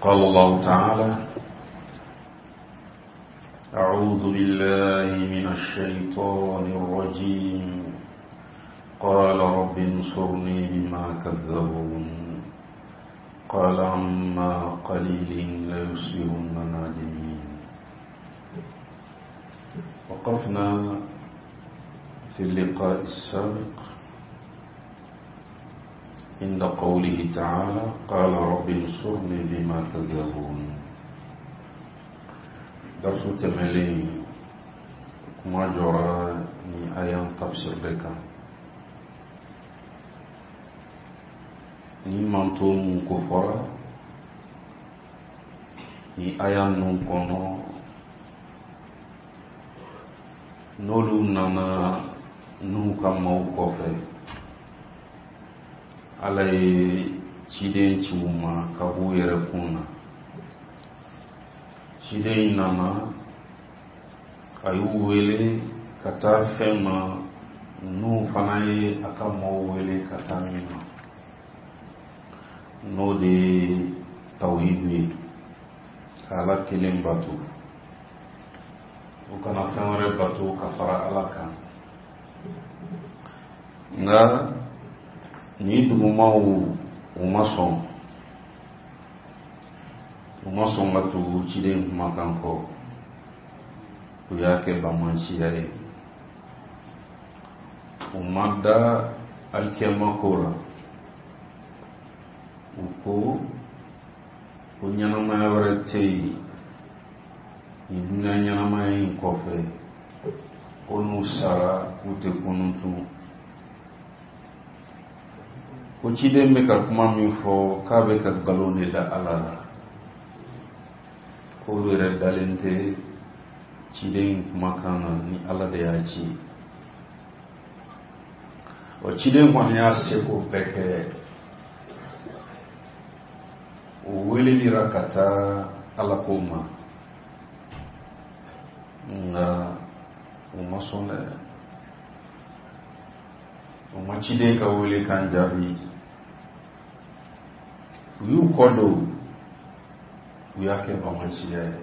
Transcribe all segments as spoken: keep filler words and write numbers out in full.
قال الله تعالى: أعوذ بالله من الشيطان الرجيم. قال رب انصرني بما كذبون. قال عما قليل ليصبحن نادمين. وقفنا في اللقاء السابق عند قوله تعالى: قال رب انصرني بما كذبون. درس تملي كما جرى ni ayan tafsir leka ni manto mun ko fɔra ni aya ninnu kɔnɔ, n'olu nana n'u ka maaw kɔfɛ, Ala ye ciden ci u ma ka b'u yɛrɛ kun na. Ciden in nana, a y'u wele ka taa fɛn ma n'u fana ye a ka maaw wele ka taa min ma, n'o de ye tawhidu ye, ka Ala kelen bato, u kana fɛn wɛrɛ bato ka fara Ala kan. Nka ni dugumaw u ma sɔn, u ma sɔn ka tugu ciden kumakan kɔ, u y'a kɛ bamanciya ye, u ma da alikiyama ko la. U ko ko ɲɛnamaya wɛrɛ tɛ yen nin dunuya ɲɛnamaya in kɔfɛ, ko n'u sara k'u tɛ kunun tun, ko ciden bɛ ka kuma min fɔ k'a bɛ ka nkalon de da Ala la, k'olu yɛrɛ dalen tɛ ciden in kumakan na ni Ala de y'a ci. O ciden kɔni y'a seko bɛɛ kɛ, o welelira ka taa Ala ko ma, nka u ma sɔn dɛ, u ma ciden ka welekan jaabi. U y'u kɔ don, u y'a kɛ bamanciya ye.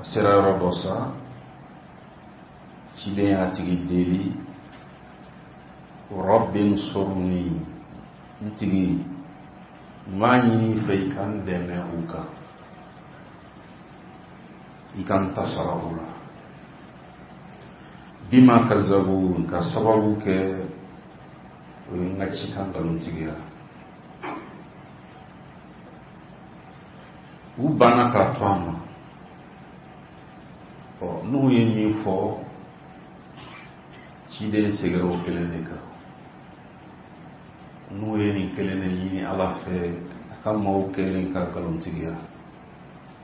A sera yɔrɔ dɔ sa, ciden y'a tigi deli: Rabbi nsurni, n tigi, n b'a ɲini i fɛ i ka n dɛmɛ u kan, i ka n ta sara u la. Bima kazabun, ka sababu kɛ o ye n ka cikan nkalontigiya. U banna k'a to a ma. Ɔ, n'u ye min fɔ, ciden seginna o kelen de kan. N'u ye nin kelen de ɲini Ala fɛ, a ka maaw kelen ka nkalontigiya.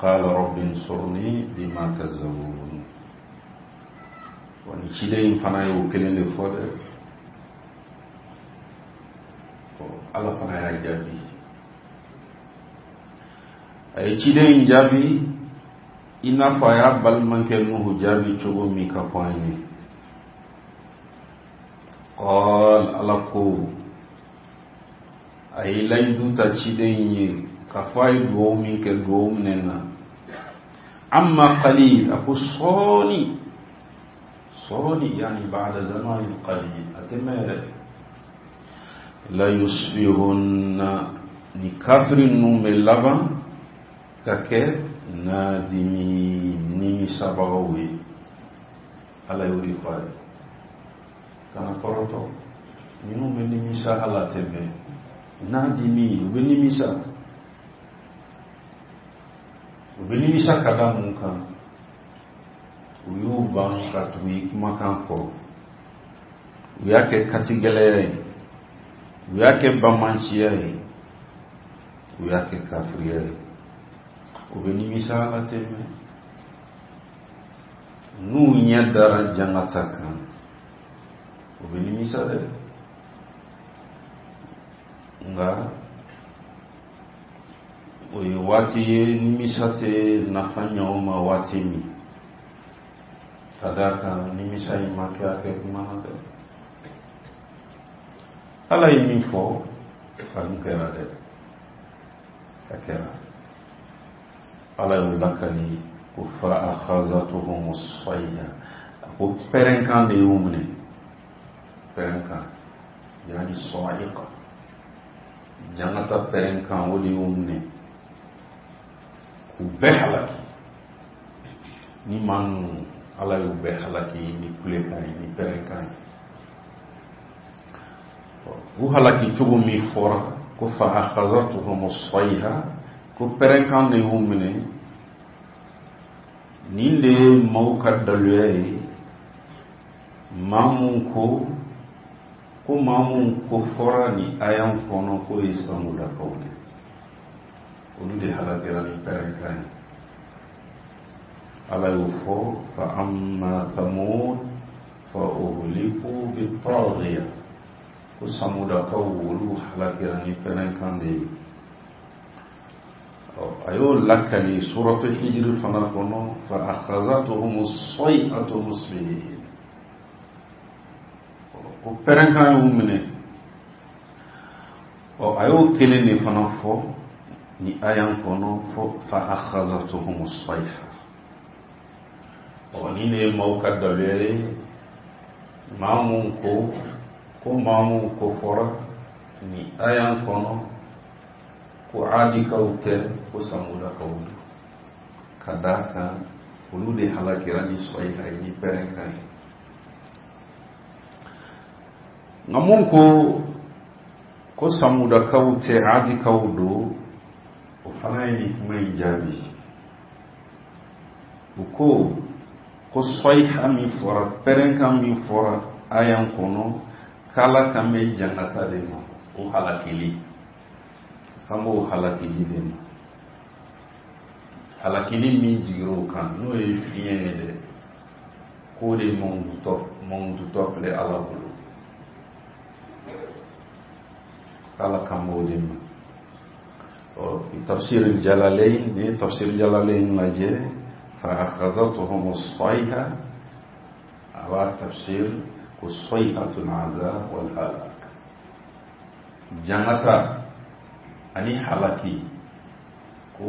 Qala rabbi nsurni bima kazzabun. Wa ni ciden in fana ye o kelen de fɔ dɛ. Ɔ, Ala fana y'a jaabi. A ye ciden in jaabi i n'a fɔ a y'a balimakɛ Nuhu jaabi cogo min ka fɔ an ye. Qal, Ala ko, a ye layidu ta ciden in ye k'a fɔ a ye duwawu min kɛ, duwawu minɛ na. Amma qalil, a ko sɔɔni sɔɔni, yani ba'da zamanin qalil, a tɛ mɛn yɛrɛ. La yusbihunna, ni kafiri ninnu bɛ laban ka kɛ nadimi, nimisabagaw ye. Ala y'o de fɔ a ye, kana kɔrɔtɔ, minnu bɛ nimisa Ala tɛ mɛn. Nadimi, u bɛ nimisa, u bɛ nimisa ka da mun kan? U y'u ban ka tugu i kumakan kɔ, u y'a kɛ katigɛlɛya ye, u y'a kɛ bamanciya ye, u y'a kɛ kafiriya ye. U bɛ nimisa Ala tɛ mɛn. N'u ɲɛ dara jangata kan, u bɛ nimisa dɛ. Nka o ye waati ye nimisa tɛ nafa ɲɛ o ma waati min, ka d'a kan nimisa in ma kɛ a kɛ kuma na dɛ. Ala ye min fɔ, a dun kɛra dɛ. A kɛra Ala y'u lakali ko fa akhazatuhum as-sayha, a ko pɛrɛnkan de y'u minɛ, pɛrɛnkan yani sa'iqa, jangata pɛrɛnkan o de y'u minɛ k'u bɛɛ halaki. Ni maa ninnu Ala y'u bɛɛ halaki ni kulekan ye, ni pɛrɛnkan ye. U halaki cogo min fɔra ko fa akhazatuhum as-sayha, ko pɛrɛnkan de y'u minɛ. Nin de ye maaw ka daluya ye, maa mun ko ko maa mun ko fɔra ni aya kɔnɔ k'o ye samudakaw de, olu de halakira ni pɛrɛnkan ye. Ala y'o fɔ fa amma thamud fa uhliku bitaghiya, ko samudakaw olu halakira ni pɛrɛnkan de ye. A y'o lakali suratu hijiri fana kɔnɔ fa akhazatuhum as-sayhatu musbihin, ko pɛrɛnkan y'u minɛ. Ɔ a y'o kelen de fana fɔ ni aya kɔnɔ fɔ fa akhazatuhum as-sayha. Ɔ ni ne ye maaw ka daluya ye, maa mun ko ko maa mun ko fɔra ni aya kɔnɔ ko adikaw tɛ, ko samudakaw don, ka d'a kan olu de halakira ni sayha ye, ni pɛrɛnkan ye. Nka mun ko ko samudakaw tɛ, adikaw don, o fana ye nin kuma in jaabi. U ko ko sayha min fɔra, pɛrɛnkan min fɔra aya kɔnɔ, k'Ala kan bɛ jangata de ma, o halakili kan b'o halakili de ma. Halakili min jigira o kan n'o ye fiɲɛ ye dɛ, k'o de mangututɔ filɛ Ala bolo, k'Ala kan b'o de ma. Ɔ tafsir Jalalayn, ni tafsir Jalalayn lajɛ fa akhadhatuhum as-sayha, a b'a tafsir ko sayhatul azab wal halak, jangata ani halaki, ko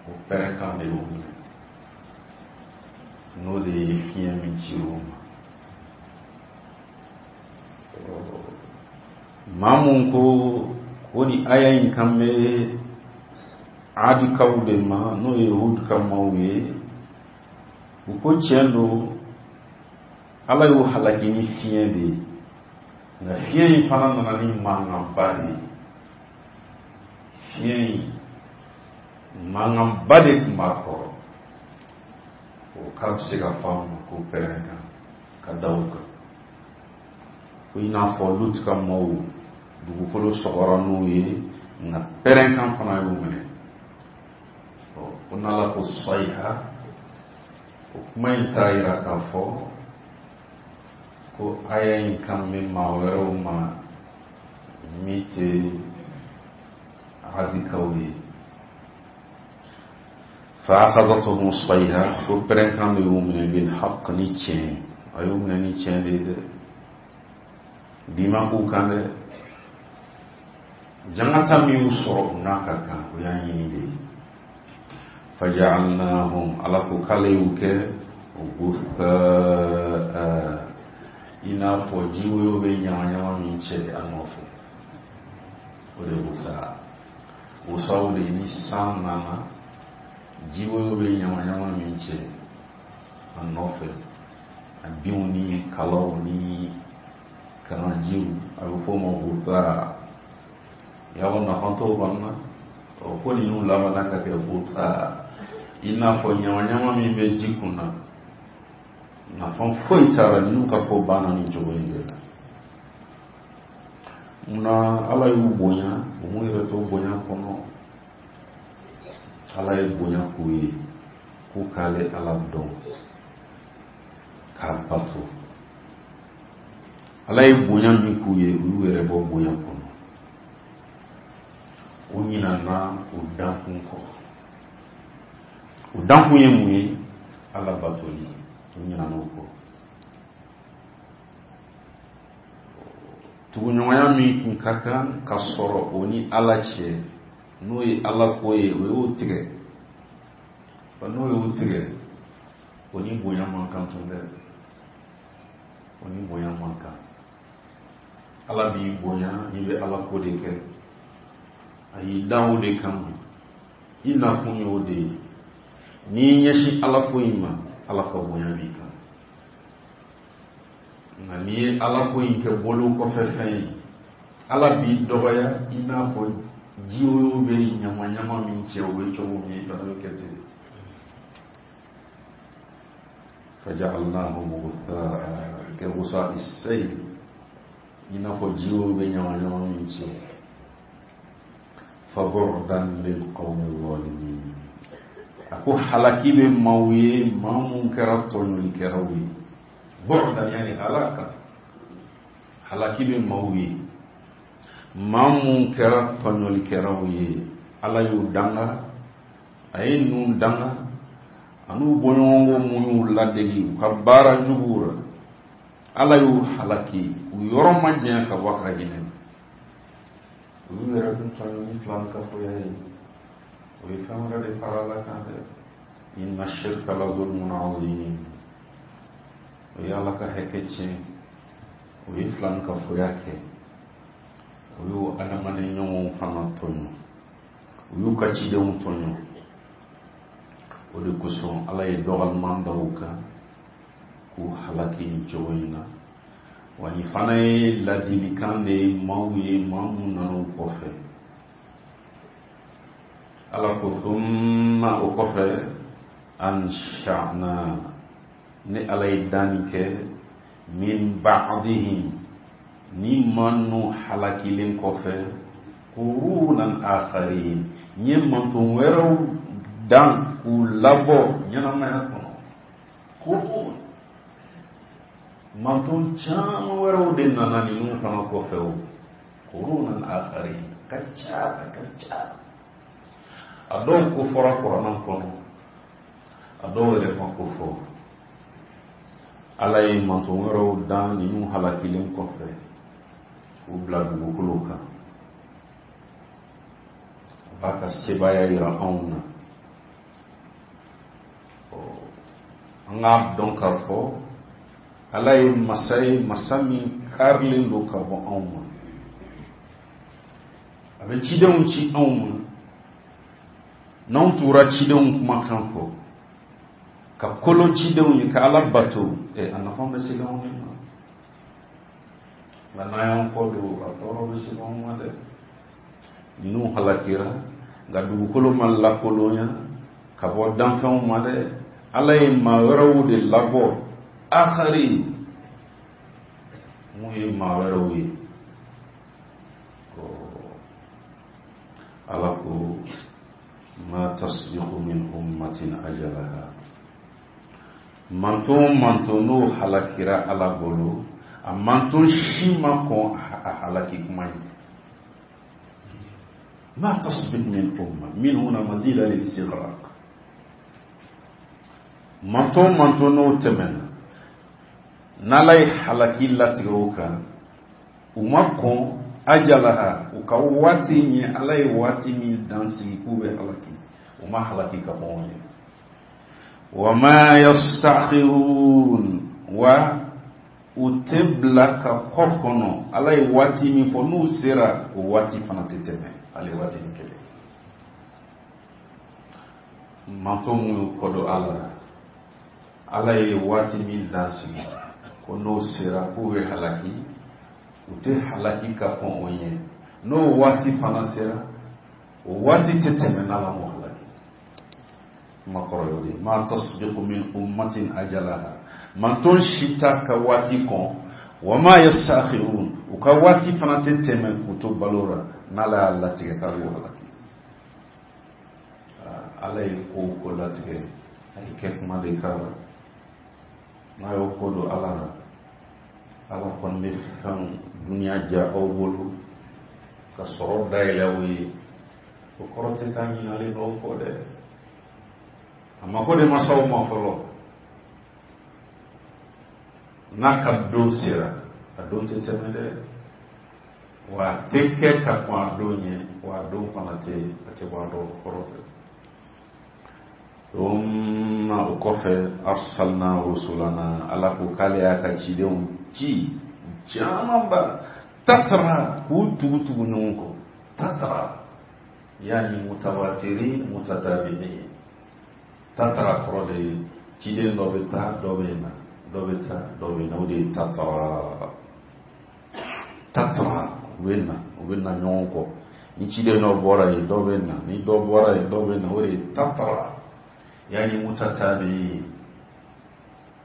o pɛrɛnkan de y'o minɛ, n'o de ye fiɲɛ min ci o ma. Maa mun ko ko ni aya in kan bɛ adikaw de ma, n'o ye Hud ka maaw ye, u ko tiɲɛ don, Ala y'o halaki ni fiɲɛ de ye, nka fiɲɛ in fana nana ni mankanba de ye. Fiɲɛ in mankanba de tun b'a kɔrɔ, o k'a bɛ se ka fɔ a ma ko pɛrɛnkan ka da o kan. Ko i n'a fɔ Lut ka maaw dugukolo sɔgɔra n'u ye, nka pɛrɛnkan fana y'u minɛ. Ɔ ko n'Ala ko sayha, o kuma in t'a yira k'a fɔ ko aya in kan bɛ maa wɛrɛw ma min tɛ adikaw ye. Fa akhadhatuhum as-sayha, ko pɛrɛnkan de y'u minɛ bil haqq, ni tiɲɛ, a y'u minɛ ni tiɲɛ de ye dɛ, bi ma k'u kan dɛ, jangata min y'u sɔrɔ u n'a ka kan, o y'an ɲini de ye. Faja'alnahum, Ala ko k'ale y'u kɛ guthaa, i n'a fɔ jiwoyo bɛ ɲamaɲama min cɛ a nɔfɛ, o de ye guthaa. Guthaa de ni san nana, jiwoyo bɛ ɲamaɲama min cɛ a nɔfɛ, a binw ni kalaw ni kalanjiw, a bɛ f'o ma guthaa. Yawɔ nafa t'o kɔni na, ɔ ko ninnu labanna ka kɛ guthaa, i n'a fɔ ɲamaɲama min bɛ ji kun na, nafa foyi t'a la, ninnu ka ko banna nin cogo in de la. Munna Ala y'u bonya, u m'u yɛrɛ to bonya kɔnɔ, Ala ye bonya k'u ye, k'u k'ale Ala dɔn, k'a bato. Ala ye bonya min k'u ye, u y'u yɛrɛ bɔ bonya kɔnɔ, u ɲinana u dankun kɔ. U dankun ye mun ye? Ala batoli, u ɲinana o kɔ. Tuguɲɔgɔnya min tun ka kan ka sɔrɔ o ni Ala cɛ, N'o ye Ala ko ye, o y'o tigɛ. Wa n'o y'o tigɛ, o ni bonya man kan tun dɛ. O ni bonya man kan. Ala b'i bonya n'i bɛ Ala ko de kɛ. A y'i dan o de kama. I nakun y'o de ye. N'i y'i ɲɛsin Ala ko in ma, Ala ka bonya b'i kan. Nka n'i ye Ala ko in kɛ bolo kɔfɛ fɛn ye, Ala b'i dɔgɔya i n'a fɔ jiwoyo bɛ ɲama ɲama min cɛ o bɛ cogo min, i fana bɛ kɛ ten. Faja'alnahum ghutha'a ka ghusa'i as-sayl, i n'a fɔ jiwoyo bɛ ɲama ɲama min cɛ. Fa bu'dan lil qawmi adh-dhalimin. A ko halaki bɛ maaw ye, maa mun kɛra tɔɲɔlikɛlaw ye. Bu'dan yani halaka. Halaki bɛ maaw ye, maa mun kɛra tɔɲɔlikɛlaw ye. Ala y'u danga, a ye ninnu danga, a n'u bɔɲɔgɔnko mun y'u ladegi u ka baara juguw la. Ala y'u halaki, u yɔrɔ ma janya ka bɔ a ka hinɛ ma. U y'u yɛrɛ dun tɔɲɔ ni filankafoya ye. O ye fɛn wɛrɛ de fara Ala kan dɛ. Inna shirka la zulmun azim. O ye Ala ka hakɛ tiɲɛ, o ye filankafoya kɛ, o y'u adamaden ɲɔgɔnw fana tɔɲɔ, u y'u ka cidenw tɔɲɔ. O de kosɔn Ala ye dɔgɔliman da u kan k'u halaki nin cogo in na. Wa nin fana ye ladilikan de ye maaw ye, maa mun nana u kɔfɛ. Ala ko thumma, o kɔfɛ, ansha'na, ni Ala ye danni kɛ, min ba'dihim, ni maa ninnu halakilen kɔfɛ, qurunan akharin, n ye manton wɛrɛw dan k'u labɔ ɲɛnamaya kɔnɔ. Qurun, manton caman wɛrɛw de nana ninnu fana kɔfɛ o. Qurunan akharin, ka ca ka ca. A dɔw ko fɔra Kuranɛ kɔnɔ, a dɔw yɛrɛ ma ko fɔ. Ala ye manton wɛrɛw dan ninnu halakilen kɔfɛ k'u bila dugukolo kan. A b'a ka sebaaya yira anw na. An k'a dɔn k'a fɔ Ala ye masa ye, masa min karilen don ka bɔ anw ma. A bɛ cidenw ci anw ma. N'anw tugura cidenw kumakan kɔ, ka kolo cidenw ye, ka Ala bato, ɛ a nafa bɛ se anw de ma. Nka n'an y'an kɔ don, a tɔɔrɔ bɛ se anw ma dɛ. Ninnu halakira, nka dugukolo ma lakolonya ka bɔ danfɛnw ma dɛ. Ala ye maa wɛrɛw de labɔ, akari, mun ye maa wɛrɛw ye. Ala ko ma tasbiqu min ummatin ajalaha. Manton manton n'o halakira Ala bolo, a manton si ma kɔn a halaki kuma ye. Ma tasbiqu min umma min huna mazida lil istighraq. Manton manton n'o tɛmɛna, n'Ala ye halaki latigɛ o kan, u ma kɔn ajalaha, u ka waati ɲɛ, Ala ye waati min dan sigi k'u bɛ halaki, u ma halaki ka kɔn o ɲɛ. Wa ma yastakhirun, wa u tɛ bila ka kɔ kɔnɔ. Ala ye waati min fɔ, n'u sera o waati fana tɛ tɛmɛ ale waati ni kelen. Manton mun y'u kɔ don Ala la, Ala ye waati min dan sigi ko n'o sera k'u bɛ halaki, u tɛ halaki ka kɔn o ɲɛ. N'o waati fana sera, o waati tɛ tɛmɛ n'Ala m'o halaki. Kuma kɔrɔ y'o de ye. Ma tasbiqu min ummatin ajalaha, manton si t'a ka waati kɔn. Wa ma yastakhirun, u ka waati fana tɛ tɛmɛ k'u to balo la, n'Ala y'a latigɛ k'a b'u halaki. Ala ye ko o ko latigɛ, a ye kɛ kuma de k'a la. N'a y'o ko don Ala la, Ala kɔni bɛ fɛnw dunuya diya aw bolo ka sɔrɔ dayɛlɛ aw ye. O kɔrɔ tɛ k'a ɲinalen don aw kɔ dɛ. A mako de ma s'aw ma fɔlɔ. N'a ka don sera, a don tɛ tɛmɛ dɛ. Wa a tɛ kɛ ka kɔn a don ɲɛ, wa a don fana tɛ a tɛ bɔ a dɔw kɔrɔ fɛ. Thumma o kɔfɛ arsalna rusulana, Ala ko k'ale y'a ka cidenw ci camanba, tatara k'u tugu tugu ɲɔgɔn kɔ, tatara yani mutawatirin mutatabi'in. Tatara kɔrɔ de ye ciden dɔ bɛ taa dɔ bɛ na, dɔ bɛ taa dɔ bɛ na, o de ye tatara. Tatara u bɛ na, u bɛ na ɲɔgɔn kɔ. Ni ciden dɔ bɔra yen dɔ bɛ na, ni dɔ bɔra yen dɔ bɛ na, o de ye tatara. Yani mutatabi'in.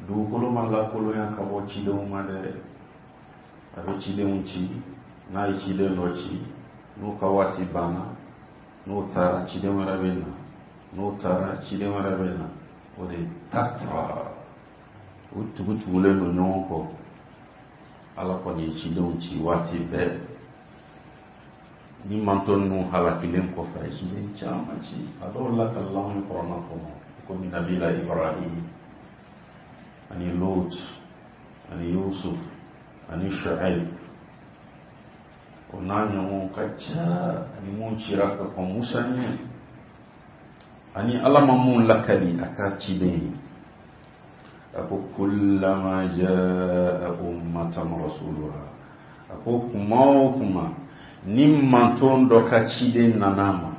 Dugukolo ma lakolonya ka bɔ cidenw ma dɛ. A bɛ cidenw ci, n'a ye ciden dɔ ci, n'u ka waati banna, n'o taara ciden wɛrɛ bɛ na, n'o taara ciden wɛrɛ bɛ na, o de ye tatara. U tugutugulen don ɲɔgɔn kɔ. Ala kɔni ye cidenw ci waati bɛɛ. Ni mantɔn ninnu halakilen kɔfɛ, a ye ciden caman ci. A dɔw lakalila anw ye kuranɛ kɔnɔ, komi Nabila Ibrahim ani Lot ani Yusuf ani Shu'aib, o n'a ɲɔgɔn ka ca, ani mun cira ka kɔn Musa ɲɛ, ani Ala ma mun lakali a ka ciden ye. A ko kullama jaa ummatan rasuluha, a ko kuma o kuma ni manton dɔ ka ciden nana ma,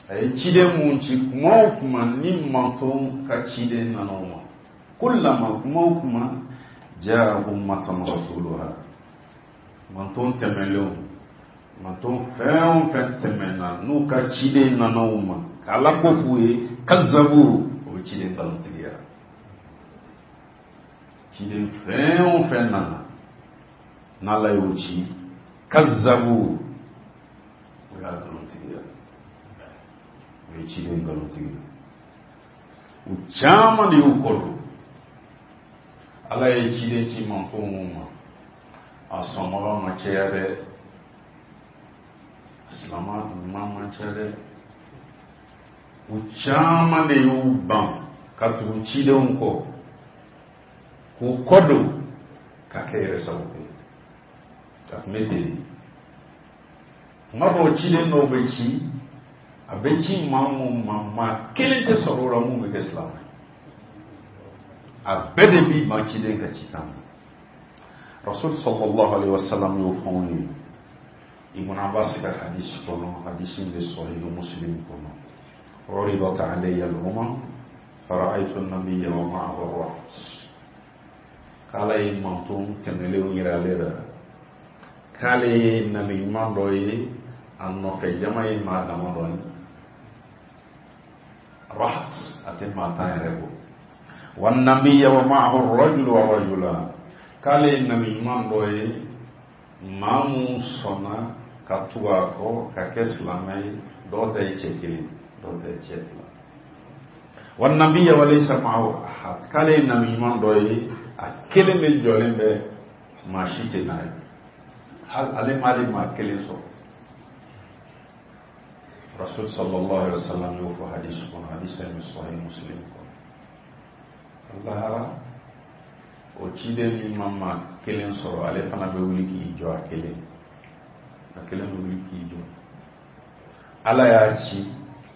a ye ciden mun ci, kuma o kuma ni manton ka ciden nana o ma, kullama kuma o kuma jaa ummatan rasuluha, manton tɛmɛnlenw, manton fɛn o fɛn tɛmɛna n'u ka ciden nana o ma k'Ala ko f'u ye, kazabu, o bɛ ciden nkalontigiya. Ciden fɛn o fɛn nana n'Ala y'o ci, kazabu, o y'a nkalontigiya, o ye ciden nkalontigiya. U caman de y'u kɔ don. Ala ye ciden ci manton mun ma, a sɔnbaga ma caya dɛ, silama ɲuman man ca dɛ. U caman de y'u ban ka tugu cidenw kɔ, k'u kɔ don ka kɛ yɛrɛ sago ye. A tun bɛ ten de. Kuma dɔw ciden dɔw bɛ ci, a bɛ ci maa mun ma, maa kelen tɛ sɔrɔ o la mun bɛ kɛ silamɛ ye. A bɛɛ de b'i ban ciden ka cikan ma. Rasul sallallahu alaihi wasallam y'o fɔ anw ye Ibn Abbas ka hadisi kɔnɔ, hadisi in bɛ Sahih Muslim kɔnɔ. Uridat alayya al-umam fara'aytu an-nabiyya wa ma'ahu ar-raht. K'ala ye manton tɛmɛlenw yira ale la, k'ale ye nabi ɲuman dɔ ye, a nɔfɛ jama ye maa damadɔ ye. Raht a tɛ maa tan yɛrɛ bɔ. Wa nabiyya wa ma'ahu ar-rajulu wa rajulan, k'ale ye nabi ɲuman dɔ ye, maa mun sɔnna ka tugu a kɔ ka kɛ silamɛ ye, dɔw ta ye cɛ kelen, dɔw ta ye cɛ fila. Wa nabiyya wa laysa ma'ahu ahad, k'ale ye nabi ɲuman dɔ ye, a kelen bɛ jɔlen bɛ, maa si tɛ n'a ye, hali ale m'ale maa kelen sɔrɔ. Rasul sallallahu alaihi wasallam y'o fɔ hadisi kɔnɔ, hadisi in bɛ Sahih Muslim kɔnɔ. Lahara o ciden min ma maa kelen sɔrɔ, ale fana bɛ wuli k'i jɔ a kelen, a kelen bɛ wuli k'i jɔ. Ala y'a ci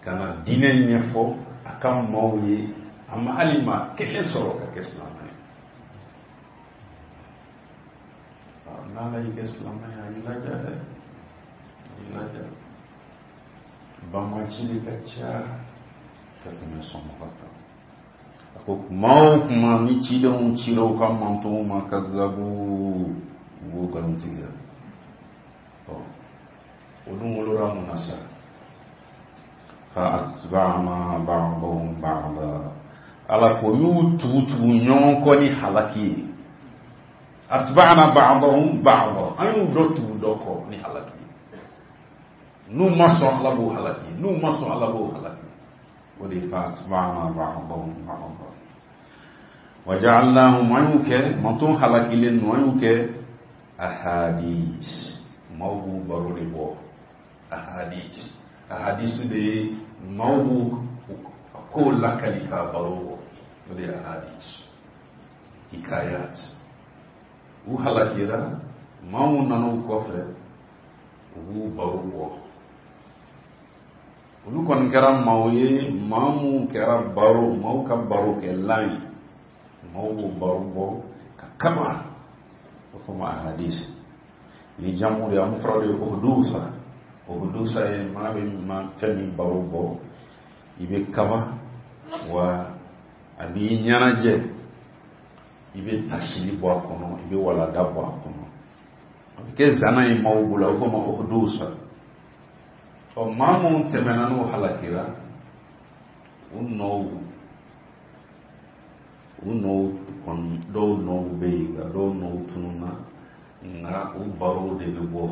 ka na diinɛ ɲɛfɔ a ka maaw ye, a ma hali maa kelen sɔrɔ ka kɛ silamɛ ye. N'Ala y'i kɛ silamɛ ye, a y'i laja dɛ, a y'i laja. Banbaanci de ka ca ka tɛmɛ sɔnbaga kan. A ko kuma o kuma ni cidenw cira u ka mantonw ma, kazabu, u b'o nkalontigiya. Ɔ o dun wolola mun na sa? Fa atba'na ba'dahum ba'da, Ala ko y'u tugu tugu ɲɔgɔn kɔ ni halaki ye. Atba'na ba'dahum ba'da, an y'u dɔ tugu dɔ kɔ ni halaki ye. N'u ma sɔn Ala b'u halaki, n'u ma sɔn Ala b'u halaki. O de fa atba'na ba'dahum ba'da wa ja'alnahum, an y'u kɛ manton halakilen ninnu, an y'u kɛ ahadis, maaw b'u baro de bɔ. Ahadis, ahadis de ye maaw b'u kow lakali k'a baro bɔ, o de ye ahadis, hikayat. U halakira, Maa mun nana u kɔfɛ, u b'u baro bɔ. Olu kɔni kɛra maaw ye, maa mun kɛra baro, maaw ka baro kɛlan ye. Maaw b'u baro bɔ ka kaba. O fɔ ma hadisi. Ni jamu de ye, an fɔra de ye uhudusa. Uhudusa ye maa bɛ ma fɛn min baro bɔ, i bɛ kaba, wa a b'i ɲɛnajɛ, i bɛ tasili bɔ a kɔnɔ, i bɛ walada bɔ a kɔnɔ. A bɛ kɛ zana ye maaw bolo, a bɛ fɔ o ma uhudusa. Ɔ maa minnu tɛmɛna n'u halakira, u nɔw u nɔw kɔni, dɔw nɔw bɛ yen, nka dɔw nɔw tununna, nka u barow de bɛ bɔ.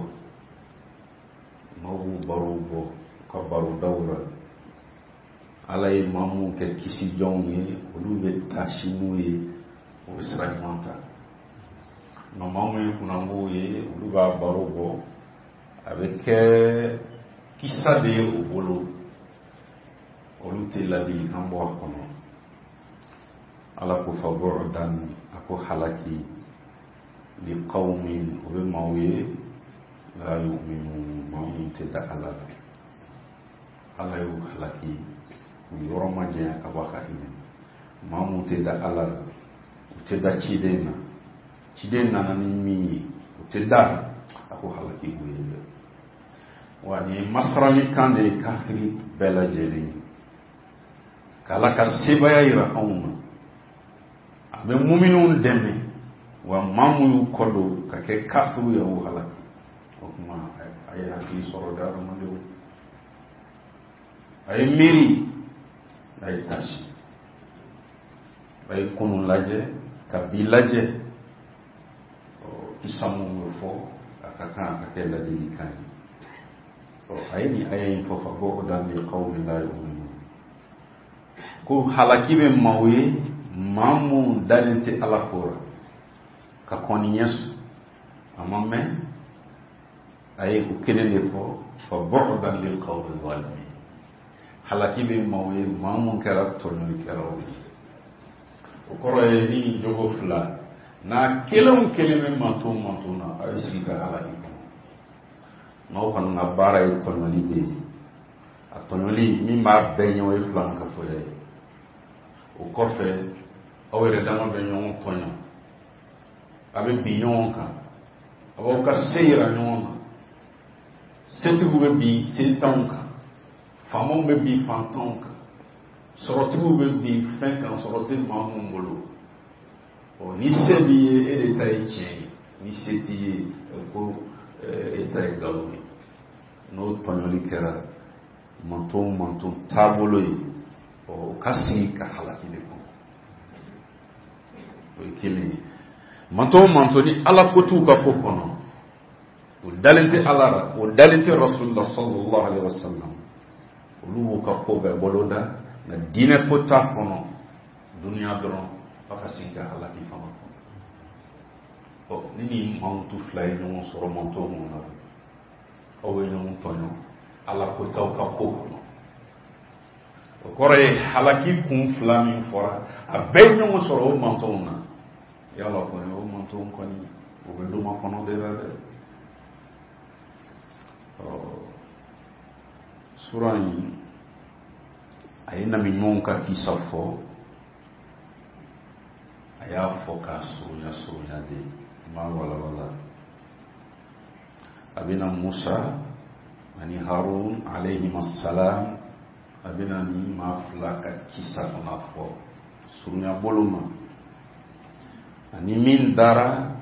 Maaw b'u barow bɔ u ka barodaw la. Ala ye maa minnu kɛ kisi jɔnw ye, olu bɛ taasi n'u ye, u bɛ sira ɲuman ta. Nka maa minnu ye kunnangow ye, olu b'a baro bɔ, a bɛ kɛ kisa de ye u bolo, olu tɛ ladilikan bɔ a kɔnɔ. Ala ko fa bu'dan, a ko halaki, li qawmin, o bɛ maaw ye, la yu'minun, maa minnu tɛ da Ala la. Ala y'u halaki, u yɔrɔ ma janya ka bɔ a ka hinɛ. Maa minnu tɛ da Ala la, u tɛ da ciden na, ciden nana ni min ye, u tɛ da, a ko halaki b'u ye dɛ. Wa nin ye masarali kan de ye kafiri bɛɛ lajɛlen ye, k'Ala ka sebaaya yira anw na. A bɛ muminw dɛmɛ, wa maa mun y'u kɔ don ka kɛ kafiriw ye, o halaki. O tuma a ye hakili sɔrɔ dɛ, adamadenw. A ye miiri, a ye taasi, a ye kunun lajɛ, ka bi lajɛ. Ɔ kisa mun bɛ fɔ, a ka kan a ka kɛ ladilikan ye. Ɔ a ye nin aya in fɔ, fa bu'dan li qawmin la yu'minun, ko halaki bɛ maaw ye, maa mun dalen tɛ Ala ko la, ka kɔn ni ɲɛ sɔrɔ. A ma mɛn, a ye o kelen de fɔ, fa bu'dan lil qawmi zalimin, halaki bɛ maaw ye, maa mun kɛra tɔɲɔlikɛlaw ye. O kɔrɔ ye ni jogo fila n'a kelen o kelen bɛ manton manton na, a bɛ sigi ka halaki kɔnɔ. N'aw kɔni ka baara ye tɔɲɔli de ye, a tɔɲɔli min b'a bɛɛ ɲɛ, o ye filankafoya ye. O kɔfɛ, aw yɛrɛ dama bɛ ɲɔgɔn tɔɲɔ, a bɛ bin ɲɔgɔn kan, a b'aw ka se yira ɲɔgɔn na. Setigiw bɛ bin sentanw kan, faamaw bɛ bin fantanw kan, sɔrɔtigiw bɛ bin fɛn kan, sɔrɔ tɛ maa mun bolo. Ɔ ni se b'i ye, e de ta ye tiɲɛ ye, ni se t'i ye, ko e ta ye nkalon ye. N'o tɔɲɔli kɛra manton manton taabolo ye, ɔ o ka sigi ka halaki de kɔnɔ. O ye kelen ye. Manton manton ni Ala ko t'u ka ko kɔnɔ, o dalen tɛ Ala la, o dalen tɛ Rasulullah sallallahu alaihi wasallam, olu b'u ka ko bɛɛ boloda, nka diinɛ ko t'a kɔnɔ, dunuya dɔrɔn, a ka sigi ka halaki fana kɔnɔ. Ɔ ni nin mankutu fila ye ɲɔgɔn sɔrɔ manton mun na, aw bɛ ɲɔgɔn tɔɲɔ Ala ko t'aw ka ko kɔnɔ. O kɔrɔ ye halaki kun fila min fɔra, a bɛɛ ye ɲɔgɔn sɔrɔ o mantonw na. Yala kɔni o mantonw kɔni, o bɛ doma kɔnɔ de la dɛ. Ɔ sura in, a ye nabi ɲumanw ka kisa fɔ, a y'a fɔ k'a surunya surunya de, n b'a walawala. A bɛna Musa ani Harun alayhim assalam, a bɛna nin maa fila ka kisa fana fɔ surunya bolo ma, ani min dara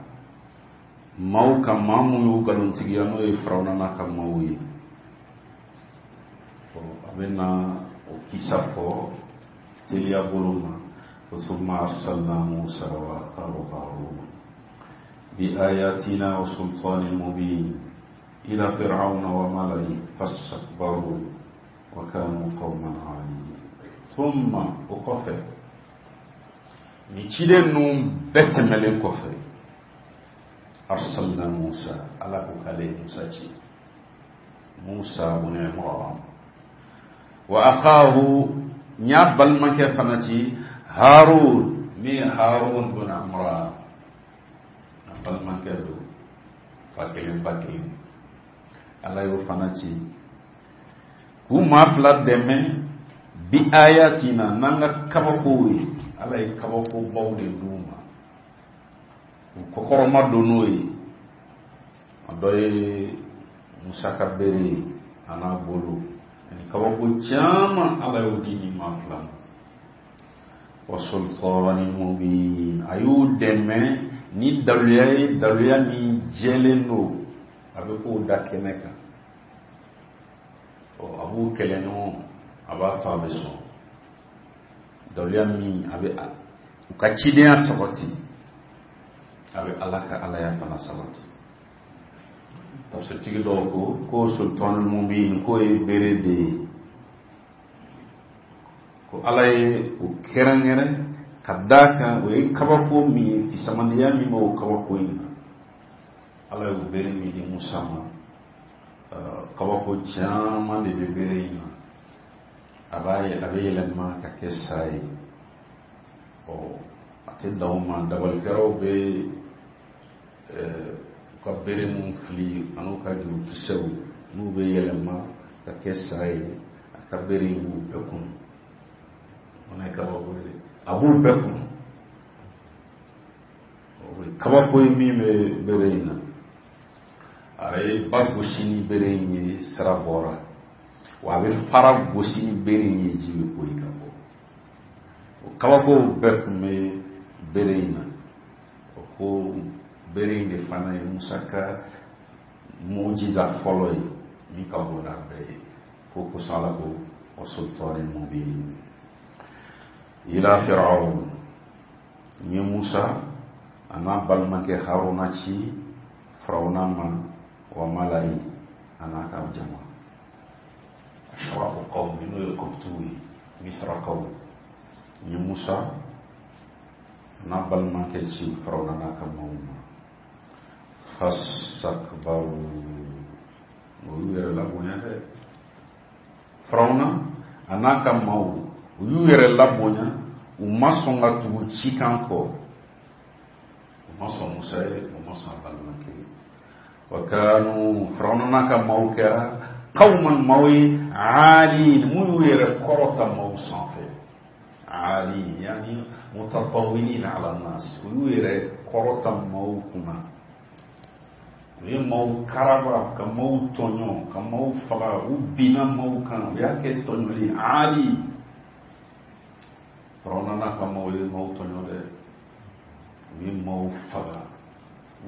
maaw kan, maa mun y'u nkalontigiya, n'o ye Firawuna n'a ka maaw ye. Ɔ a bɛna o kisa fɔ teliya bolo ma. Ko summa arsalna Musa wa akhahu Harun bi ayatina wa sultanin mubin ila fir'auna wa mala'ihi fastakbaru wa kanu qauman 'aliyin. Thumma, o kɔfɛ, nin ciden ninnu bɛɛ tɛmɛlen kɔfɛ, arsalna Musa, Ala ko k'ale ye Musa ci, Musa bun Imran, wa akhahu, n y'a balimakɛ fana ci, Harun, min ye Harun bun Imran, a balimakɛ don. Fa kelen ba kelen Ala y'o fana ci k'u maa fila dɛmɛ bi ayatina n'an ka kabakow ye. Ala ye kabakobaw de d'u ma, u kɔkɔrɔma don n'o ye. A dɔ ye Musa ka bere ye a n'a bolo, ani kabako caman Ala y'o di nin maa fila ma. Wa sultanin mubin, a y'u dɛmɛ ni daluya ye, daluya min jɛlen don, a bɛ k'o da kɛnɛ kan. Ɔ a b'u kɛlɛ ɲɔgɔn, a b'a to a bɛ sɔn daluya min a bɛ u ka cidenya sabati, a bɛ Ala ka alaya fana sabati. Tafsirtigi dɔw ko ko sultanul mubin k'o ye bere de ye, ko Ala ye o kɛrɛnkɛrɛn ka d'a kan o ye kabako min ye, fisamandiya min b'o kabako in na. Ala y'o bere min di Musa ma, kabako caman de bɛ bere in na. A b'a ye a bɛ yɛlɛma ka kɛ sa ye. Ɔ a tɛ dan o ma, dabalikɛlaw bɛ u ka bere mun fili an'u ka jurukisɛw n'u bɛ yɛlɛma ka kɛ sa ye, a ka bere in b'u bɛɛ kun. O fana ye kabako ye dɛ, a b'u bɛɛ kun. O ye kabako ye min bɛ bere in na. A ye ba gosi ni bere in ye, sira bɔra. Wa a bɛ fara gosi ni bere in ye, ji bɛ poyi ka bɔ. O kabakow bɛɛ tun bɛ bere in na. O ko bere in de fana ye Musa ka mujiza fɔlɔ ye min ka bon n'a bɛɛ ye. Ko kosɔn Ala ko wa sultanin mubin. Ila Fir'aun, n ye Musa a n'a balimakɛ Haruna ci Firawuna ma, wa malayi a n'a ka jama. Ashrafu qawmi, n'o ye Kɔptiw ye, Misirakaw. N ye Musa a n'a balimakɛ ci Firawuna n'a ka maaw ma. Fastakbaru, o y'u yɛrɛ labonya dɛ. Firawuna a n'a ka maaw, u y'u yɛrɛ labonya, u ma sɔn ka tugu cikan kɔ. U ma sɔn Musa ye, u ma sɔn a balimakɛ ye. Wa kanu, Firawuna n'a ka maaw kɛra qawman maaw ye aalin, mun y'u yɛrɛ kɔrɔta maaw sanfɛ. Aalin yani mutatawilin ala nas, u y'u yɛrɛ kɔrɔta maaw kunna. U ye maaw karaba, ka maaw tɔɲɔ, ka maaw faga, u binna maaw kan, u y'a kɛ tɔɲɔli aali. Firawuna n'a ka maaw ye maaw tɔɲɔ dɛ, u ye maaw faga,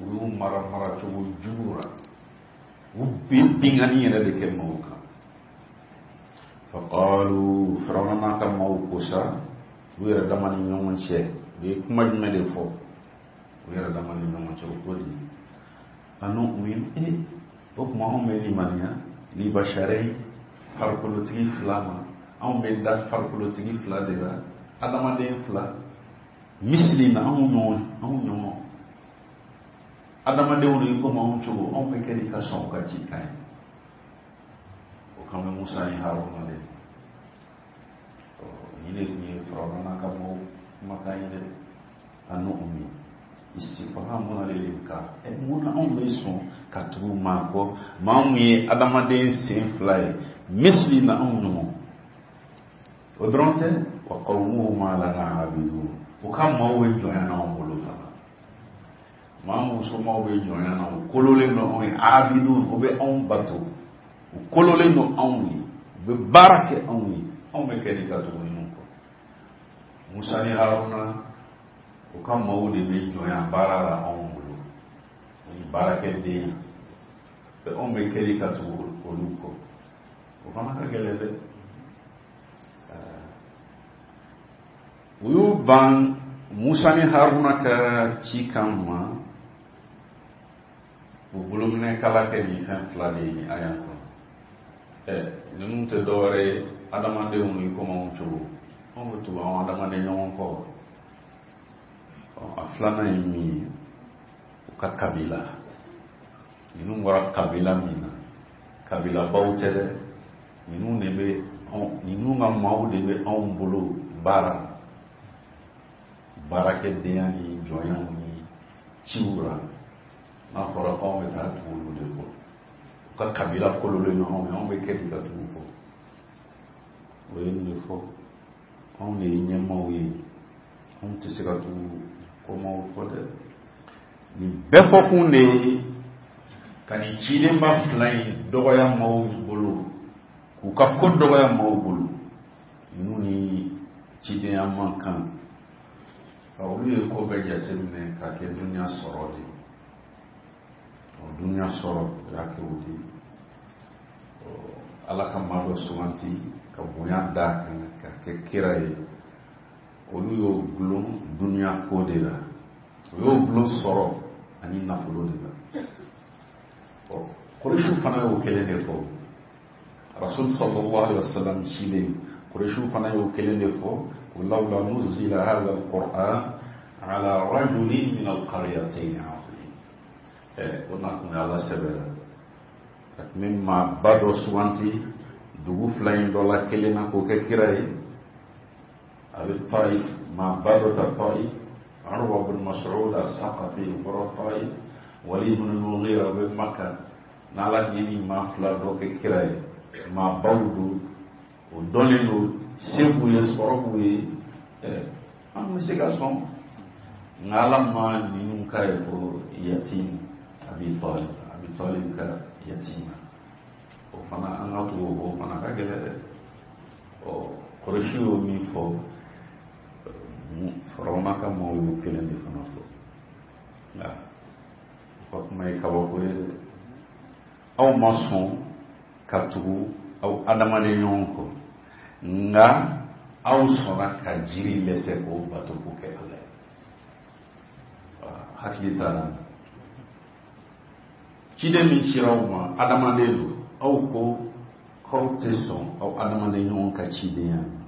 u y'u mara maracogo jugu la, u bɛ binkanni yɛrɛ de kɛ maaw kan. Faqalu, Firawuna n'a ka maaw ko sa, u yɛrɛ dama ni ɲɔgɔn cɛ, u ye kuma jumɛn de fɔ u yɛrɛ dama ni ɲɔgɔn cɛ? O ko di anu'minu, e o tuma anw bɛ limaniya libasharai farikolotigi fila ma, anw bɛ da farikolotigi fila de la, adamaden fila, misili na anw ɲɔgɔn, anw ɲɔgɔn adamadenw de komi anw cogo, anw bɛ kɛ di ka sɔn u ka cikan ye. O kan bɛ Musa ni Haruna de. Ɔ nin de tun ye Firawuna n'a ka maaw kumakan ye dɛ. Anu'minu istifhamun lil-inkar, ɛ mun na anw bɛ sɔn ka tugu maa kɔ, maa mun ye adamaden sen fila ye, misili na anw ɲɔgɔn. O dɔrɔn tɛ, wa qawmuhuma lana abidun, u ka maaw bɛ jɔnya n'anw bolo fana. Maa mun somaaw bɛ jɔnya na, u kololen don anw ye, abidun, u bɛ anw bato, u kololen don anw ye, u bɛ baara kɛ anw ye, anw bɛ kɛ di ka tugu ninnu kɔ. Musa ni Haruna, u ka maaw de bɛ jɔnya baara la anw bolo, o ni baarakɛden, anw bɛ kɛ di ka tugu olu kɔ. O fana ka gɛlɛn dɛ. U y'u ban Musa ni Haruna ka cikan ma, u bolominɛkala kɛ nin fɛn fila de ye nin aya kɔnɔ. Ɛ ninnu tɛ dɔwɛrɛ ye, adamadenw i komi anw cogo, anw bɛ tugu anw adamaden ɲɔgɔn kɔ. A filanan ye min ye, u ka kabila. Ninnu bɔra kabila min na, kabilabaw tɛ dɛ, ninnu de bɛ anw, ninnu ka maaw de bɛ anw bolo baara, baarakɛdenya ni jɔnyaw ni ciw la. N'a fɔra k'anw bɛ taa tugu olu de kɔ, u ka kabila kololen don anw ye, anw bɛ kɛ di ka tugu kɔ. O ye nin de fɔ, anw de ye ɲɛmaaw ye, anw tɛ se ka tugu kɔmaw fɔ dɛ. Nin bɛɛ fɔkun de ye ka nin cidenba fila in dɔgɔya maaw bolo, k'u ka ko dɔgɔya maaw bolo. Ninnu ni cidenya man kan. Olu ye ko bɛɛ jateminɛ k'a kɛ dunuya sɔrɔ de ye. Dunuya sɔrɔ o y'a kɛ o de ye. Ala ka maa dɔ suganti ka bonya d'a kan ka kɛ kira ye, olu y'o gulon dunuya ko de la, o y'o gulon sɔrɔ ani nafolo de la. Ɔ Kuresiw fana y'o kelen de fɔ. Rasul sallallahu alaihi wasallam cilen, Kuresiw fana y'o kelen de fɔ ko lawla nuzila hadha alquran ala rajulin min alqaryatayn azim. Ɛ o na kun ye Ala sɛbɛ la, a tun bɛ maaba dɔ suganti dugu fila in dɔ la kelen na k'o kɛ kira ye. A bɛ Taif, maaba dɔ ta Taif, Urwa bin Mas'ud as-Saqafi o bɔra Taif, Walid bin Mughira o bɛ Maka. N'Ala tun ye nin maa fila dɔ kɛ kira ye, maabaw don, o dɔnnen don, se b'u ye, sɔrɔ b'u ye, an bɛ se ka sɔn. Nka Ala ma ninnu k'a ye ko yatim Abi Talib, Abi Talib ka yatima, o fana an ka tugu o fana ka gɛlɛn dɛ. Ɔ Kuresi y'o min fɔ, Firawuna ka maaw y'o kelen de fana fɔ. Nka u ka kuma ye kabako ye dɛ. Aw ma sɔn ka tugu aw adamaden ɲɔgɔn kɔ, nka aw sɔnna ka jiri lɛsɛ k'o bato k'o kɛ Ala ye. Hakili t'a la. Ciden min cira aw ma adamaden don, aw ko k'aw tɛ sɔn aw adamaden ɲɔgɔn ka cidenya ma,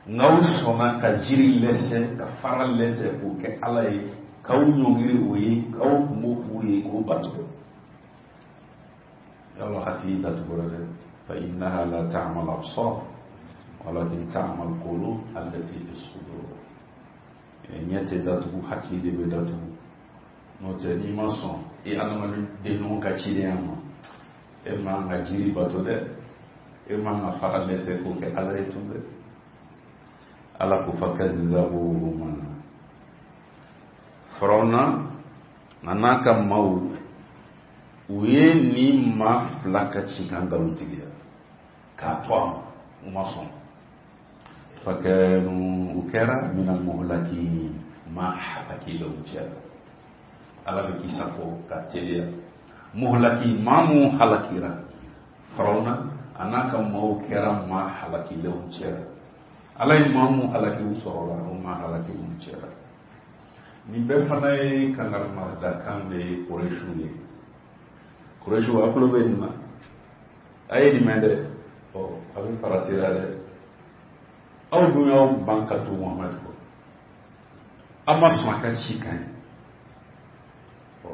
nka aw sɔnna ka jiri lɛsɛ, ka fara lɛsɛ k'o kɛ Ala ye, k'aw ɲɔngiri o ye, k'aw kungo f'u ye, k'o bato. Yala hakili datugura dɛ. Fa innaha la ta'mal absar walakin ta'mal qulub allati fi sudur. Ɲɛ tɛ datugu, hakili de bɛ datugu. N'o tɛ n'i ma sɔn i adamaden ɲɔgɔn ka cidenya ma, e man ka jiri bato dɛ, e man ka fara lɛsɛ k'o kɛ Ala ye tun dɛ. Ala ko fakadzabuhuma. Firawuna a n'a ka maaw, u ye nin maa fila ka cikan nkalontigiya k'a to a ma, u ma sɔn. Fakanu, u kɛra minal muhlakin, maa halakilenw cɛla. Ala bɛ kisa fɔ ka teliya. Muhlaki, maa mun halakira, Firawuna a n'a ka maaw kɛra maa halakilenw cɛla. Ala ye maa mun halaki u sɔrɔla, o maa halakilenw cɛla. Nin bɛɛ fana ye kangarimadakan de ye Kuresiw ye. Kuresiw a tulo bɛ nin na, a ye nin mɛn dɛ, ɔ a bɛ farati la dɛ. Aw dun y'aw ban ka tugu Muhamadu kɔ, aw ma sɔn a ka ci kan ye. Ɔ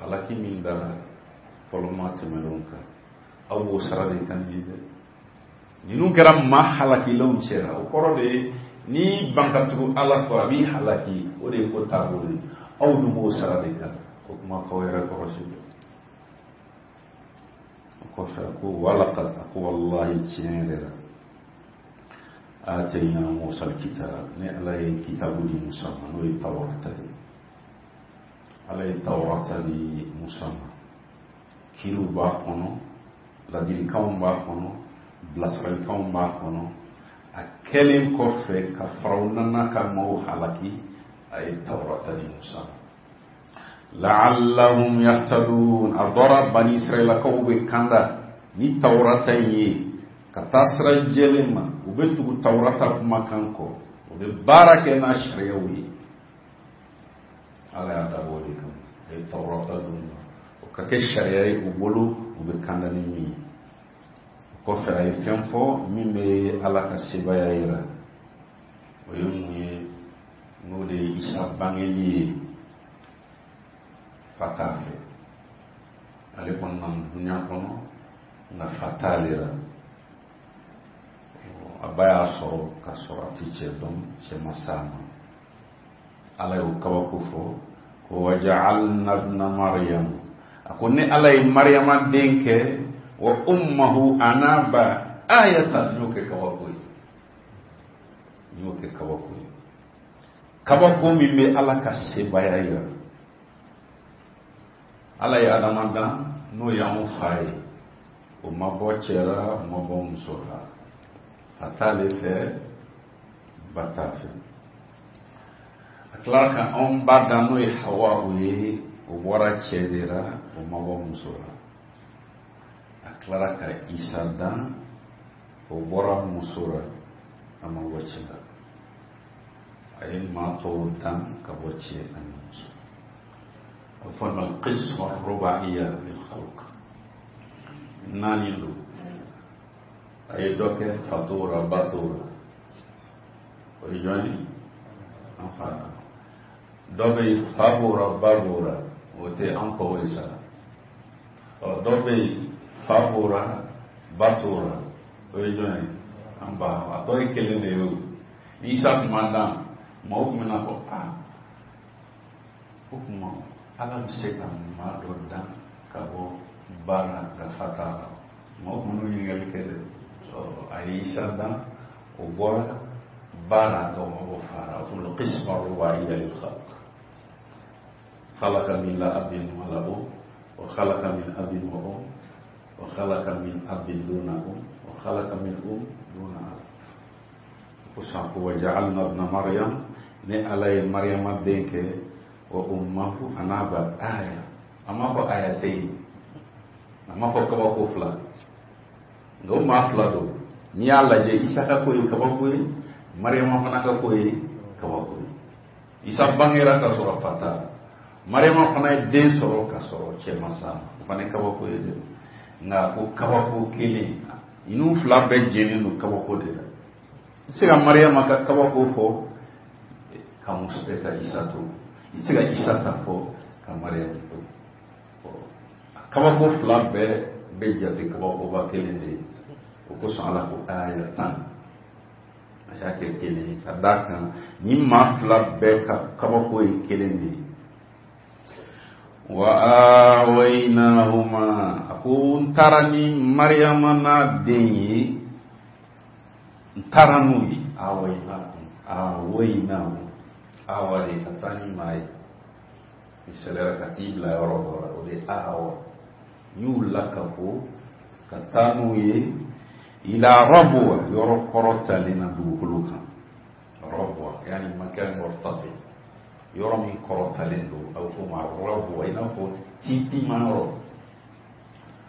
halaki min dara fɔlɔ maa tɛmɛnenw kan, aw b'o sara de kan nin dɛ. Ninnu kɛra maa halakilenw cɛla. O kɔrɔ de ye n'i ban ka tugu Ala kɔ, a b'i halaki, o de ye ko taabolo ye. Aw dun b'o sara de kan. O kuma k'aw yɛrɛ kɔlɔsi dɛ. O kɔfɛ a ko walaqad, a ko walahi tiɲɛ yɛrɛ la, atayna Musa alkitab, ne Ala ye kitabu di Musa ma, n'o ye Tawrata ye. Ala ye Tawrata di Musa ma, kiriw b'a kɔnɔ, ladilikanw b'a kɔnɔ, bilasiralikanw b'a kɔnɔ. A kɛlen kɔfɛ ka Firawuna n'a ka maaw halaki, a ye Tawrata di Musa ma. La'allahum yahtadun. A dɔra bani Israilakaw bɛ kanda ni Tawrata in ye ka taa sira jɛlen ma, u bɛ tugu Tawrata kumakan kɔ, u bɛ baara kɛ n'a sariyaw ye. Ala y'a dabɔ o de kama, a ye Tawrata d'u ma, o ka kɛ sariya ye u bolo, u bɛ kanda ni min ye. O kɔfɛ a ye fɛn fɔ min bɛ Ala ka sebaaya yira, o ye mun ye? N'o de ye Isa bangeli ye fa t'a fɛ. Ale kɔni nana dunuya kɔnɔ, nka fa t'ale la. A ba y'a sɔrɔ k'a sɔrɔ a ti cɛ dɔn, cɛ ma s'a ma. Ala y'o kabako fɔ ko Wa ja'alna ibna Maryam, a ko ne Ala ye Maryama den kɛ, wa ummuhu a n'a ba, ayatan, n y'o kɛ kabako ye, n y'o kɛ kabako ye, kabako min bɛ Ala ka sebaaya yira. Ala ye Adama dan, n'o y'anw fa ye, o ma bɔ cɛ la, o ma bɔ muso la, a t'ale fɛ, ba t'a fɛ. A tilara ka anw ba dan, n'o ye Hawa o ye, o bɔra cɛ de la, o ma bɔ muso la. A tilara ka Isa dan, o bɔra muso la, a ma bɔ cɛ la. A ye maa tɔw dan ka bɔ cɛ ani muso. A bɛ fɔ ma qisma rubaiya lil khalq, naani don. A ye dɔ kɛ fa t'o la, ba t'o la, o ye jɔn ye? An fa la. Dɔ bɛ yen, fa b'o la, ba b'o la, o tɛ an tɔgɔ ye sa. Ɔ, dɔ bɛ yen, fa b'o la, ba t'o la, o ye jɔn ye? An ba. A tɔ ye kelen de ye. O ni Isa tun ma dan, maaw tun bɛna fɔ: aa, o tuma Ala bɛ se ka maa dɔ dan ka bɔ ba la ka fa t'a la? Maaw tun b'o ɲininkali kɛ dɛ. A ye Isa dan, o bɔra ba la, nka o ma bɔ fa la. O fana qisma rubaiya lil khalq, khalaqa min la abin wala um, wa khalaqa min abin wa um, wa khalaqa min abin duna um, wa khalaqa min um duna ab. Ko san ko wa ja'alna ibna Maryam, ne Ala ye Maryama den kɛ, wa ummahu, a n'a ba, aya. A ma fɔ aya tɛ yen, a ma fɔ kabako fila, nka o maa fila don. N'i y'a lajɛ, Isa ka ko ye kabako ye, Maryama fana ka ko ye kabako ye. Isa bangera ka sɔrɔ fa t'a la, Maryama fana ye den sɔrɔ ka sɔrɔ cɛ ma s'a ma, o fana ye kabako ye dɛ. Nka ko kabako kelen, ninnu fila bɛɛ jɛlen don kabako de la. I tɛ se ka Maryama ka kabako fɔ ka muso ka Isa to, i tɛ se ka Isa ta fɔ ka Maryama to. Kabako fila bɛɛ bɛ jate kabakoba kelen de ye. O kosɔn Ala ko ayatan, a y'a kɛ kelen ye, ka d'a kan ni maa fila bɛɛ ka kabako ye kelen de ye. Wa awaynahuma, a ko n taara ni Maryama n'a den ye, n taara n'u ye. Awaynahum, awaynahum, awa de ka taa ni maa ye, misaliyara ka t'i bila yɔrɔ dɔ la, o de ye awa. N y'u lakafo ka taa n'u ye ila rabwa, yɔrɔ kɔrɔtalen na dugukolo kan. Rabwa yani makan murtafi, yɔrɔ min kɔrɔtalen don, a bɛ f'o ma rabwa, i n'a fɔ tintinma yɔrɔ.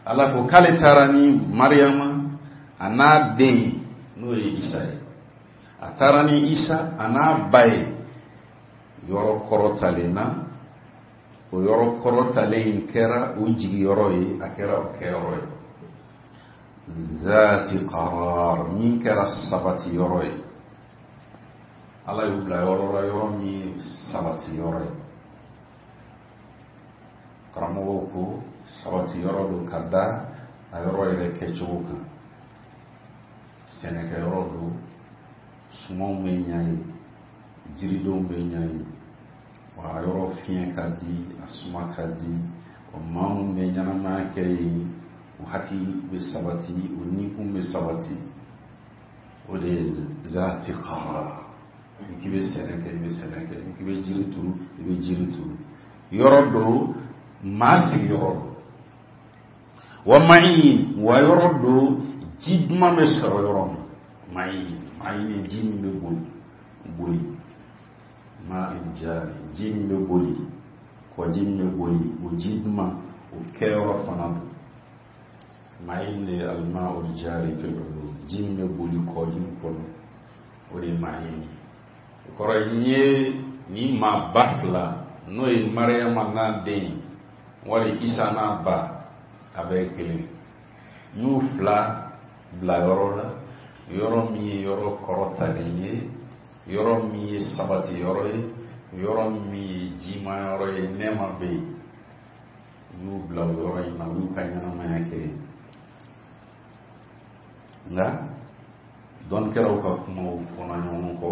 Ala ko k'ale taara ni Maryama a n'a den, n'o ye Isa ye, a taara ni Isa a n'a ba ye yɔrɔ kɔrɔtalen na. O yɔrɔ kɔrɔtalen in kɛra u jigiyɔrɔ ye, a kɛra o kɛyɔrɔ ye. Zati qarar, min kɛra sabati yɔrɔ ye. Ala y'u bila yɔrɔ la, yɔrɔ min ye sabati yɔrɔ ye. Karamɔgɔw ko sabati yɔrɔ don ka da a yɔrɔ yɛrɛ kɛcogo kan. Sɛnɛkɛyɔrɔ don, sumanw bɛ ɲa yen, jiridenw bɛ ɲa yen, wa a yɔrɔ fiɲɛ ka di, a suma ka di. O maa minnu bɛ ɲɛnamaya kɛ yen, u hakili bɛ sabati, u nikun bɛ sabati. O de ye zati qarar. Ni k'i bɛ sɛnɛ kɛ, i bɛ sɛnɛ kɛ. Ni k'i bɛ jiri turu, i bɛ jiri turu. Yɔrɔ don, maa sigiyɔrɔ don. Wa ma'in, wa yɔrɔ don, ji duman bɛ sɔrɔ yɔrɔ min. Ma'in, ma'in ye ji min bɛ boli boli, ma'in jari, ji min bɛ boli, kɔji min bɛ boli, o ji duman, o kɛyɔrɔ fana don. Ma'in de ye al-ma'ul jari fil uyun, ji min bɛ boli kɔji kɔnɔ, o de ye ma'in ye. O kɔrɔ ye, n'i ye nin maa ba fila, n'o ye Maryama n'a den wali Isa n'a ba, a bɛɛ ye kelen, n y'u fila bila yɔrɔ la, yɔrɔ min ye yɔrɔ kɔrɔtalen ye, yɔrɔ min ye sabati yɔrɔ ye, yɔrɔ min ye jima yɔrɔ ye, nɛɛma bɛ yen. N y'u bila o yɔrɔ in na, u y'u ka ɲɛnamaya kɛ yen. Nka dɔnnikɛlaw ka kumaw fɔra ɲɔgɔn kɔ,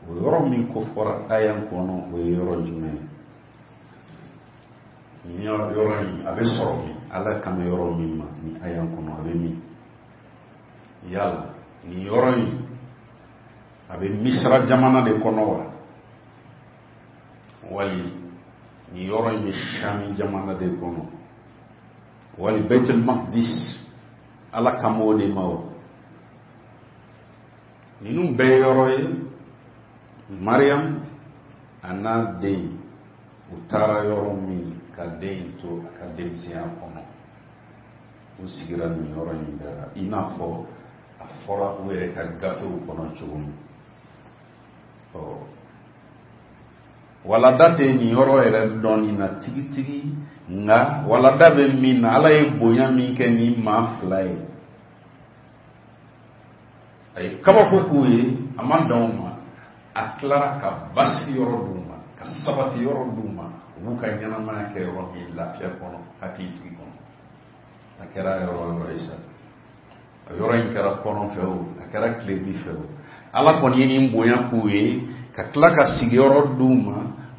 o yɔrɔ min ko fɔra aya kɔnɔ, o ye yɔrɔ jumɛn ye? Nin yɔrɔ in a bɛ sɔrɔ min? Ala kan bɛ yɔrɔ min ma nin aya kɔnɔ, a bɛ min? Yala nin yɔrɔ in a bɛ Misira jamana de kɔnɔ wa, wali nin yɔrɔ in bɛ Shami jamana de kɔnɔ, wali Baitul Maqdis Ala kan b'o de ma wa? Ninnu bɛɛ ye yɔrɔ ye. Mariam a n'a den u taara yɔrɔ min ka den in to a ka denmisɛnya kɔnɔ, u sigira nin yɔrɔ in bɛɛ la, i n'a fɔ a fɔra u yɛrɛ ka gafew kɔnɔ cogo min. Ɔ walada tɛ nin yɔrɔ yɛrɛ dɔɔni na tigitigi, nka walada bɛ min na, Ala ye bonya min kɛ nin maa fila ye, a ye kabako k'u ye, a ma dan o ma, a tilara ka basi yɔrɔ d'u ma, ka sabati yɔrɔ d'u ma, u b'u ka ɲɛnamaya kɛ yɔrɔ min lafiya kɔnɔ, hakilitigi kɔnɔ. A kɛra yɔrɔ o yɔrɔ ye sa, a yɔrɔ in kɛra kɔrɔn fɛ o, a kɛra tilebin fɛ o, Ala kɔni ye nin bonya k'u ye, ka tila ka sigiyɔrɔ d'u ma,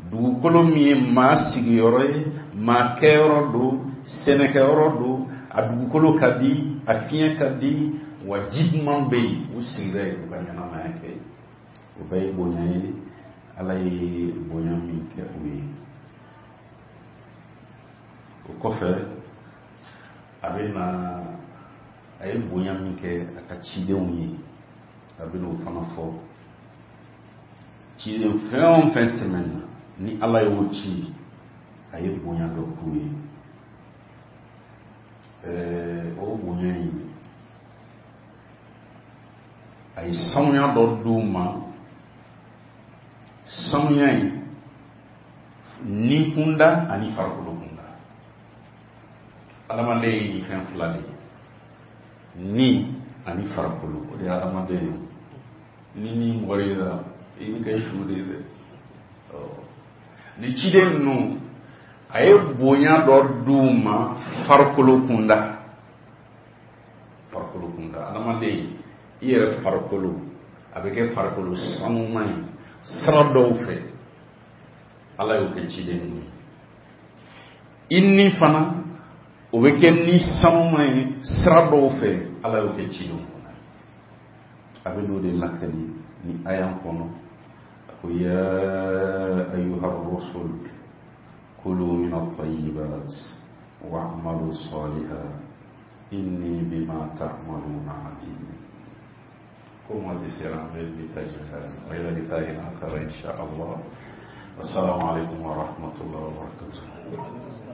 dugukolo min ye maa sigiyɔrɔ ye, maa kɛyɔrɔ don, sɛnɛkɛyɔrɔ don, a dugukolo ka di, a fiɲɛ ka di, wa ji duman bɛ yen, u sigira yen u ka ɲɛnamaya kɛ yen. O bɛɛ ye bonya ye, Ala ye bonya min kɛ u ye. O kɔfɛ a bɛ na a ye bonya min kɛ a ka cidenw ye, a bɛ n'o fana fɔ. Ciden fɛn o fɛn tɛmɛna ni Ala y'o ci, a ye bonya dɔ k'u ye. Ɛɛ o bonya in, a ye sanuya dɔ d'u ma. Sanuya in ni kunda ani farikolo kunda. Adamaden ye nin fɛn fila de ye, ni ani farikolo, o de ye adamaden ye. Ni ni mɔgɔ y'i la, i bɛ kɛ su de ye dɛ. Ni ciden ninnu, a ye bonya dɔ d'u ma farikolo kunda, farikolo kunda. Adamaden i yɛrɛ farikolo, a bɛ kɛ farikolo sanuman ye sira dɔw fɛ, Ala y'o kɛ ciden ninnu ye. I ni fana, o bɛ kɛ ni sanuman ye sira dɔw fɛ, Ala y'o kɛ cidenw fana ye. A bɛ n'o de lakali ni aya kɔnɔ. A ko ya ayyuha rusul kulu min at-tayyibat wa'malu salihan inni bima ta'maluna alim. Ko ma ti sera an bɛ bi ta jɛ wa ila liqa'in akhar insha Allah. Wassalamu alaikum wa rahmatullahi wa barakatuh.